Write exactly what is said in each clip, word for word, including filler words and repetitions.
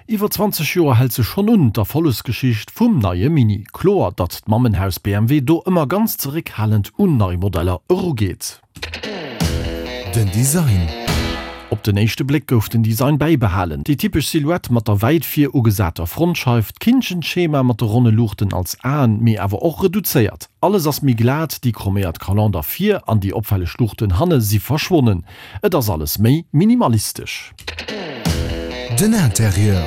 Iwwer zwanzeg Joer hält se schonn un, d'Erfollegsgeschicht vum neie Mini. Kloer, datt d'Mammenhaus B M W do ëmmer ganz zeréckhalend un nei Modeller erugeet. Den Design. Op den éischte Bléck gouf den Design bäibehalen, déi typesch Silhouette mat der wäit vir ugesater Frontscheif, d'Kinnchenschema mat de ronne Luuchten als Aen, mee awer och reduzéiert. Alles ass méi glat, déi chroméiert Kalander vir an déi opfälleg Luuchten hanne si verschwonnen. Et ass alles méi minimalistesch. Den Interieur.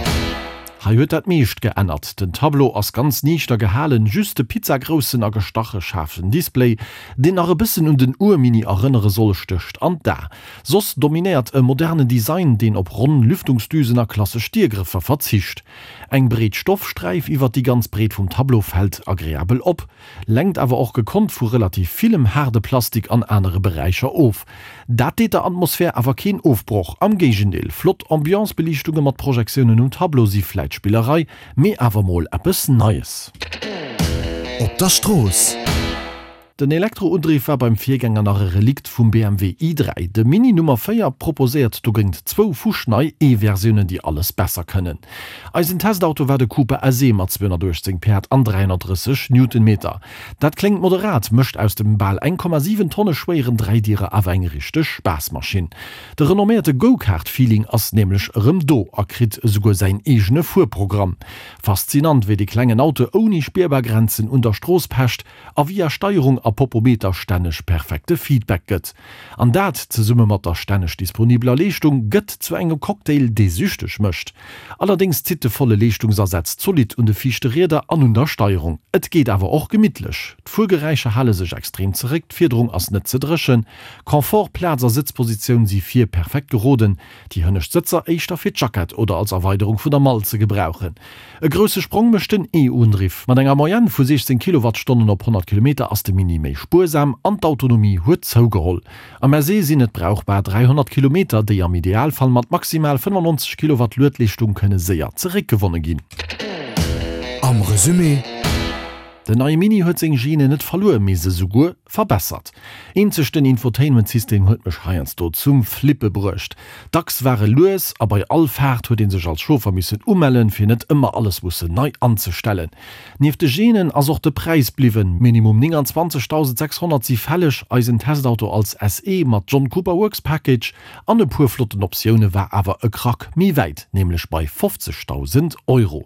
Hei huet dat meescht geännert. Den Tableau ass ganz niichter gehalen, just de pizzagroussen a gestache schaarfen Display, deen nach e bëssen un den Ur-Mini erënnere soll, stécht an d'A. Soss dominéiert e modernen Design, deen op ronn Lüftungsdüsen a klassesch Diergrëffer verzicht. Eng breet Stoffsträif iwwer déi ganz Breet vum Tableau fält agreabel op, lenkt awer och gekonnt vu relativ villem haarde Plastik an anere Beräicher of. Dat deet der Atmosphär awer keen Ofbroch, am Géigendeel, flott Ambiance-Beliichtunge mat Projektiounen um Tableau si vläit Spillerei, mee awer mol eppes Neies. Op der Strooss. Den Elektroundriff war beim Virgänger nach e Relikt vum B M W i dräi. De Mini Nummer véier proposéiert dogéint zwou fuschnei E-Versiounen, déi alles besser kënnen. Eisen Testauto war de Cooper S E mat zweehonnertuechtzéng Päerd an dräihonnertdrësseg Newtonmeter. Dat kléngt moderat, mécht aus dem bal eng Komma siwen Tonne schwéieren Dräidierer awer eng richteg Spaassmaschinn. De renomméierte Go-Kart-Feeling ass nämlech erëm do a kritt esouguer säin eegene Fuerprogramm. Faszinant, wéi de klengen Auto ouni spierbar Grenzen un der Strooss pecht a via Steierung a Popometer stänneg perfekte Feedback gëtt. An dat, zesumme mat der stänneg disponibeler Leeschtung, gëtt zu engem Cocktail, dee süchteg mécht. Allerdéngs zitt de volle Leeschtungsasaz zolidd un de viischte Rieder an un der Steierung. Et geet awer och gemittlech. D'Fuergeräischer hale sech extrem zeréck, d'Fiederung ass net ze dréchen. Confort, Plaz a Sëtzpositioun si vir perfekt geroden, déi hënnescht Sëtzer éischter fir d'Jackett oder als Erweiderung vun der Mall ze gebrauchen. E grousse Sprong mécht den E-Undriff. Mat enger Moyenne vu siechzéng Kilowattstonnen op honnert Kilometer ass de Mini méi spuersam an d'autonomie huet zougeholl. Am S E sinn et brauchbar dräihonnert Kilometer, déi am Idealfall mat maximal fënnefannonzeg Kilowatt Luedleeschtung kënne séier zeréckgewonne ginn. Am Resumé. Den neie Mini huet seng Gene net verluer, mee se souguer verbessert. Eenzeg den Infotainment-System huet mech heiansdo zum Flippe bruecht. Dacks war e lues a bei all Faart huet ee sech als Chauffer missen umellen, fir net ëmmer alles mussen nei anzestellen. Nieft de Genen ass och de Präis bliwwen, Minimum nénganzwanzegdausendsechshonnert si fälleg. Eisen Testauto als S E mat John Cooper Works Package an e puer flotten Optioune war awer e Krack méi wäit, nämlech bei fofzegdausend Euro.